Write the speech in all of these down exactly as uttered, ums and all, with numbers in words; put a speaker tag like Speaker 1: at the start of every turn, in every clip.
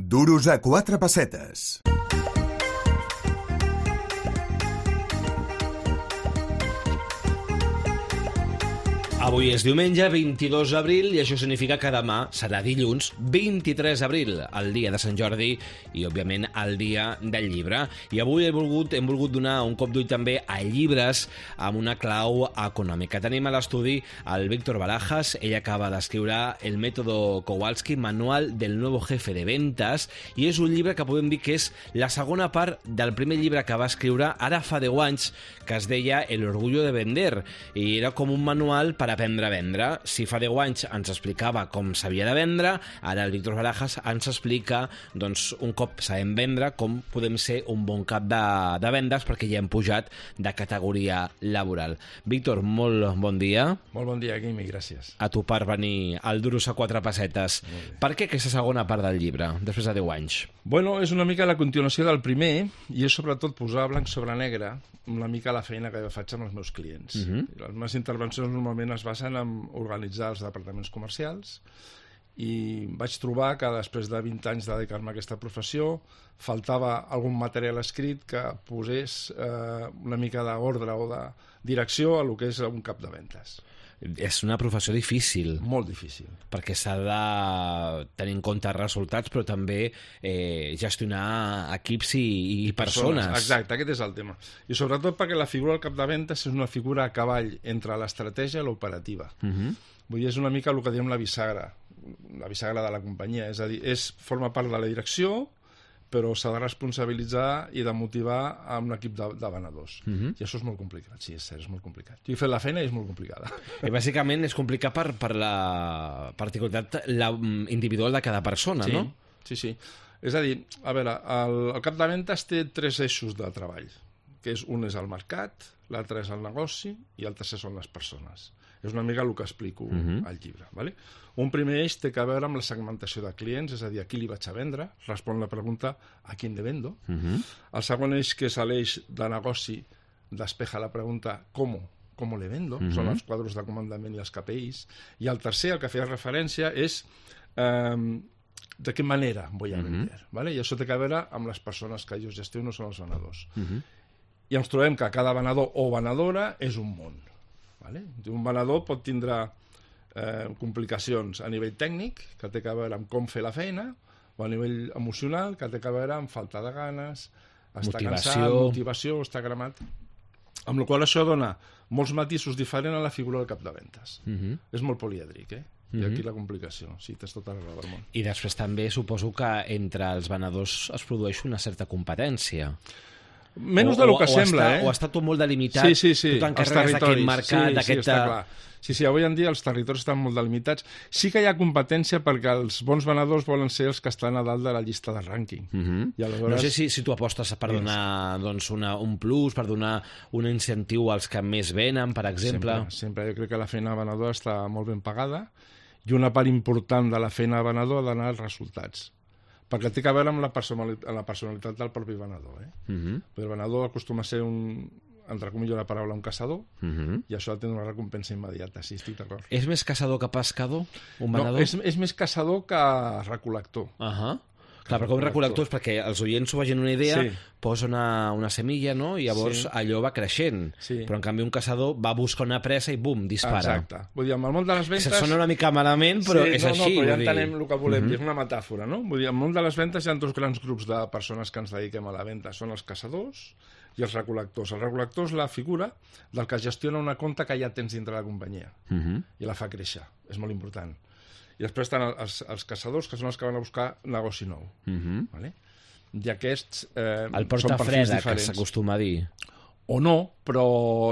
Speaker 1: Duros a quatre pessetes.
Speaker 2: Avui és diumenge, vint-i-dos d'abril, i això significa que demà serà dilluns, vint-i-tres d'abril, el dia de Sant Jordi i, òbviament, el dia del llibre. I avui he volgut, hem volgut donar un cop d'ull també a llibres amb una clau econòmica. Tenim a l'estudi el Víctor Barajas. Ell acaba d'escriure El método Kowalski, manual del nuevo jefe de ventas, i és un llibre que podem dir que és la segona part del primer llibre que va escriure ara fa deu anys, que es deia El orgullo de vender, i era com un manual per aprendre a vendre. Si fa deu anys ens explicava com s'havia de vendre, ara el Víctor Barajas ens explica, doncs, un cop sabem vendre, com podem ser un bon cap de, de vendes, perquè ja hem pujat de categoria laboral. Víctor, molt bon dia.
Speaker 3: Molt bon dia, Guim, i gràcies.
Speaker 2: A tu per venir al Duros a quatre pessetes. Per què aquesta segona part del llibre, després de deu anys?
Speaker 3: Bueno, és una mica la continuació del primer, i és sobretot posar blanc sobre negre una mica la feina que jo faig amb els meus clients. Uh-huh. Les meves intervencions normalment es basen en organitzar els departaments comercials, i vaig trobar que després de vint anys de dedicar-me a aquesta professió faltava algun material escrit que posés eh, una mica d'ordre o de direcció a lo que és un cap de ventes.
Speaker 2: És una professió difícil.
Speaker 3: Molt difícil.
Speaker 2: Perquè s'ha de tenir en compte resultats, però també eh, gestionar equips i, i persones. persones.
Speaker 3: Exacte, aquest és el tema. I sobretot perquè la figura del cap de ventes és una figura a cavall entre l'estratègia i l'operativa. Uh-huh. Vull dir, és una mica el que diem la bisagra, la bisagra de la companyia. És a dir, és, forma part de la direcció, però s'ha de responsabilitzar i de motivar a un equip de, de venedors. Uh-huh. I això és molt complicat, sí, és cert, és molt complicat. Jo he fet la feina i és molt complicada.
Speaker 2: I bàsicament és complicat per, per la particularitat la, individual de cada persona,
Speaker 3: sí,
Speaker 2: no?
Speaker 3: Sí, sí. És a dir, a veure, el, el cap de ventes té tres eixos de treball, que és un és el mercat, l'altre és el negoci i el tercer són les persones. És una mica el que explico uh-huh. al llibre. Vale? Un primer eix té a veure amb la segmentació de clients, és a dir, a qui li vaig a vendre, respon la pregunta a qui le vendo. Uh-huh. El segon eix, que és l'eix de negoci, despeja la pregunta com, com le vendo, uh-huh. són els quadros de comandament i els K P Is. I el tercer, el que feia referència, és eh, de què manera vull a vender. Uh-huh. Vale? I això té a veure amb les persones que jo gestiono, són els venedors. Uh-huh. I ens trobem que cada venedor o venedora és un món. Vale? Un venedor pot tindre eh, complicacions a nivell tècnic, que té a veure amb com fer la feina, o a nivell emocional, que té a veure amb falta de ganes, estar
Speaker 2: motivació.
Speaker 3: cansat, motivació, estar cremat. Amb la qual això dona molts matisos diferents a la figura del cap de ventes. Uh-huh. És molt polièdric, eh? I aquí la complicació, sí, tens tota la raó del món.
Speaker 2: I després també suposo que entre els venedors es produeix una certa competència.
Speaker 3: Menys del que
Speaker 2: o
Speaker 3: sembla,
Speaker 2: està,
Speaker 3: eh?
Speaker 2: O està tot molt delimitat,
Speaker 3: sí, sí, sí.
Speaker 2: tu t'encarregues d'aquest mercat,
Speaker 3: sí,
Speaker 2: d'aquest...
Speaker 3: Sí, està clar. Sí, sí, avui en dia els territoris estan molt delimitats. Sí que hi ha competència perquè els bons venedors volen ser els que estan a dalt de la llista de rànquing. Uh-huh. I aleshores...
Speaker 2: No sé si, si tu apostes per donar doncs, una, un plus, per donar un incentiu als que més venen, per exemple.
Speaker 3: Sempre, sempre. Jo crec que la feina venedora està molt ben pagada i una part important de la feina venedora ha d'anar als resultats. Perquè té a veure amb la personalitat, amb la personalitat del propi venedor. Eh? Uh-huh. El venedor acostuma a ser un, entre comilles la paraula, un caçador, uh-huh. i això ha de tenir una recompensa immediata, sí, estic d'acord.
Speaker 2: És més caçador que pescador, un venedor?
Speaker 3: No, és, és més caçador que recol·lector.
Speaker 2: Ahà. Uh-huh. Clar, però com recol·lector és perquè els oients s'ho vagin una idea, sí. posa una, una semilla, no? I llavors sí. allò va creixent. Sí. Però en canvi un caçador va buscar una presa i bum, dispara.
Speaker 3: Exacte. Vull dir, en el món de les ventes...
Speaker 2: Se sona una mica malament, però
Speaker 3: sí,
Speaker 2: és
Speaker 3: no,
Speaker 2: així.
Speaker 3: No, però ja entenem
Speaker 2: dir.
Speaker 3: el que volem
Speaker 2: uh-huh.
Speaker 3: dir, és una metàfora, no? Vull dir, en el món de les ventes hi ha dos grans grups de persones que ens dediquem a la venda. Són els caçadors i els recol·lectors. El recol·lector és la figura del que gestiona una compta que ja tens dintre la companyia uh-huh. i la fa créixer. És molt important. I després estan els, els caçadors, que són els que van a buscar negoci nou. Uh-huh. Vale? I aquests eh,
Speaker 2: el porta freda, que s'acostuma a dir.
Speaker 3: O no, però,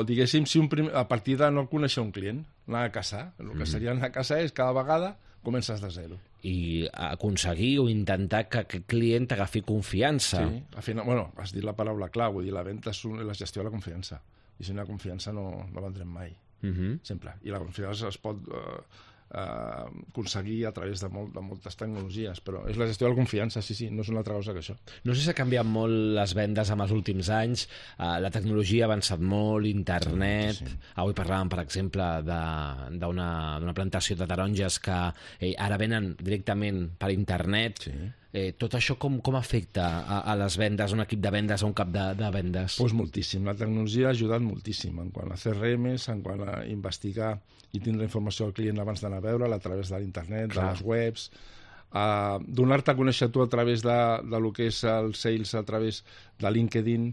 Speaker 3: diguéssim, si un prim... a partir de no conèixer un client, anar a caçar. El que seria anar a caçar és cada vegada comences de zero.
Speaker 2: I aconseguir o intentar que aquest client t'agafi confiança.
Speaker 3: Sí, al final, bueno, has dit la paraula clau, vull dir, la venda és un, la gestió de la confiança. I si no hi ha confiança no, no vendrem mai. Uh-huh. Sempre. I la confiança es pot... Eh, Uh, aconseguir a través de, molt, de moltes tecnologies, però és la gestió de la confiança, sí, sí, no és una altra cosa que això.
Speaker 2: No sé si ha canviat molt les vendes en els últims anys, uh, la tecnologia ha avançat molt, internet, sí, sí. Avui parlàvem, per exemple, d'una plantació de taronges que eh, ara venen directament per internet. Sí. Eh, tot això com, com afecta a, a les vendes, a un equip de vendes, a un cap de, de vendes?
Speaker 3: Pues moltíssim. La tecnologia ha ajudat moltíssim en quant a C R Ms, en quant a investigar i tindre informació al client abans d'anar a veure'l a través de l'internet, de les webs, a donar-te a conèixer tu a través de, de lo que és el sales, a través de LinkedIn,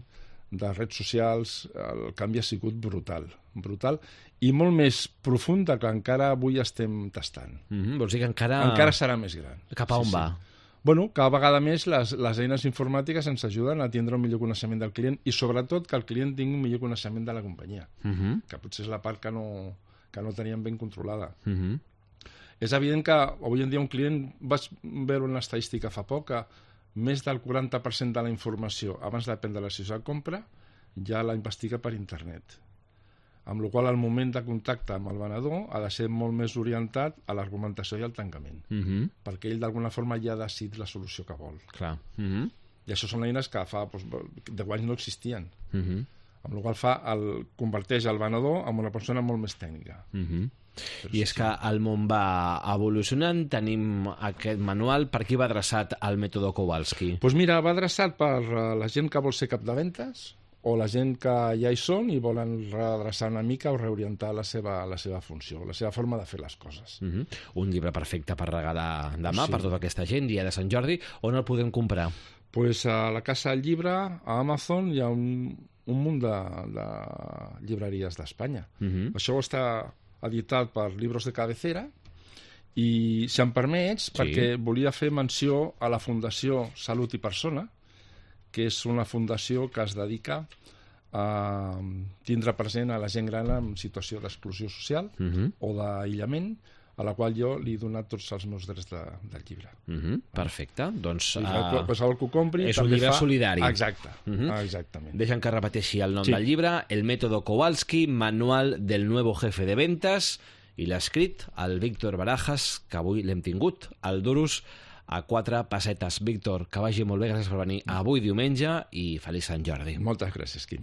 Speaker 3: de redes socials. El canvi ha sigut brutal, brutal, i molt més profund que encara avui estem tastant.
Speaker 2: Mm-hmm, vols dir que encara...
Speaker 3: Encara serà més gran.
Speaker 2: Cap a on
Speaker 3: sí,
Speaker 2: va?
Speaker 3: Sí. Bueno, cada vegada més les, les eines informàtiques ens ajuden a tindre un millor coneixement del client i sobretot que el client tingui un millor coneixement de la companyia,
Speaker 2: Mm-hmm.
Speaker 3: que potser és la part que no, que no teníem ben controlada.
Speaker 2: Mm-hmm.
Speaker 3: És evident que avui en dia un client, vaig veure una estadística fa poc, que més del quaranta per cent de la informació abans de prendre la decisió de compra ja la investiga per internet. Amb la qual cosa el moment de contacte amb el venedor ha de ser molt més orientat a l'argumentació i al tancament,
Speaker 2: Mm-hmm.
Speaker 3: perquè ell d'alguna forma ja ha decidit la solució que vol.
Speaker 2: Clar. Mm-hmm.
Speaker 3: I això són eines que fa doncs, deu anys no existien.
Speaker 2: Mm-hmm.
Speaker 3: Amb la qual cosa fa el, converteix el venedor en una persona molt més tècnica.
Speaker 2: Mm-hmm.
Speaker 3: Però
Speaker 2: I
Speaker 3: sí,
Speaker 2: és que el món va evolucionant, tenim aquest manual. Per qui va adreçat el mètode Kowalski?
Speaker 3: Doncs pues mira, va adreçat per uh, la gent que vol ser cap de ventes o la gent que ja hi són i volen redreçar una mica o reorientar la seva, la seva funció, la seva forma de fer les coses.
Speaker 2: Mm-hmm. Un llibre perfecte per regalar demà,
Speaker 3: Sí.
Speaker 2: per tota aquesta gent, dia de Sant Jordi. On el podem comprar?
Speaker 3: Pues a la Casa del Llibre, a Amazon, hi ha un, un munt de, de llibreries d'Espanya.
Speaker 2: Mm-hmm.
Speaker 3: Això està editat per Libros de Cabecera i, si em permets,
Speaker 2: Sí.
Speaker 3: perquè volia fer menció a la Fundació Salut i Persona, que és una fundació que es dedica a tindre present a la gent gran en situació d'exclusió social
Speaker 2: Mm-hmm.
Speaker 3: o d'aïllament, a la qual jo li he donat tots els meus drets de, del llibre.
Speaker 2: Mm-hmm. Perfecte. Doncs...
Speaker 3: I
Speaker 2: Uh...
Speaker 3: qualsevol que ho compri
Speaker 2: és un
Speaker 3: també
Speaker 2: llibre
Speaker 3: fa...
Speaker 2: solidari.
Speaker 3: Exacte,
Speaker 2: Mhm.
Speaker 3: exactament.
Speaker 2: Deixa'm que repeteixi el nom
Speaker 3: Sí.
Speaker 2: del llibre, El método Kowalski, manual del nuevo jefe de ventas, i l'ha escrit el Víctor Barajas, que avui l'hem tingut, al Durus, a quatre pessetes. Víctor, que vagi molt bé, gràcies per venir avui diumenge i feliç Sant Jordi.
Speaker 3: Moltes gràcies, Quim.